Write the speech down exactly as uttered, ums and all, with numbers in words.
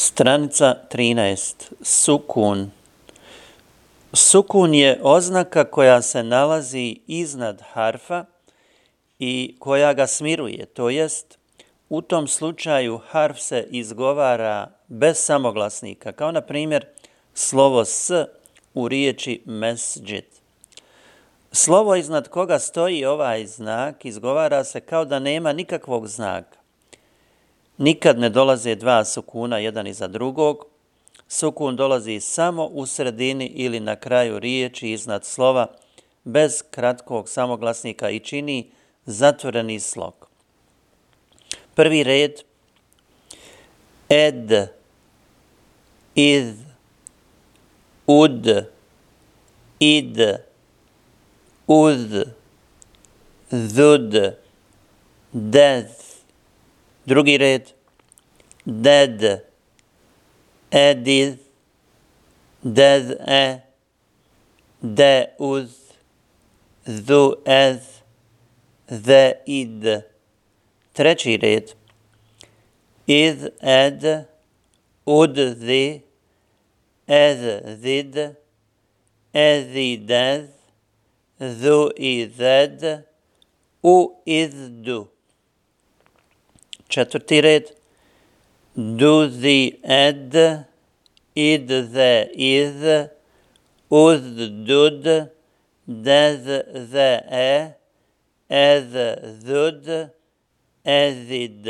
Stranica trinaest. Sukun. Sukun je oznaka koja se nalazi iznad harfa i koja ga smiruje, to jest u tom slučaju harf se izgovara bez samoglasnika, kao na primjer slovo s u riječi mesdžid. Slovo iznad koga stoji ovaj znak izgovara se kao da nema nikakvog znaka. Nikad ne dolaze dva sukuna jedan iza drugog. Sukun dolazi samo u sredini ili na kraju riječi iznad slova bez kratkog samoglasnika i čini zatvoreni slog. Prvi red: ed, id, ud, id, ud, zud, dez. Drugi red: ded, ediz, dez-e, deuz, zu-ez, ze-id. Treći red: iz-ed, ud-zi, ez-zid, ez-idez, zu-ized, u-izdu. Četvrti red: duzi-ed, id-ze-iz, uz-dud, dez-ze-e, ez-zud, ez-id.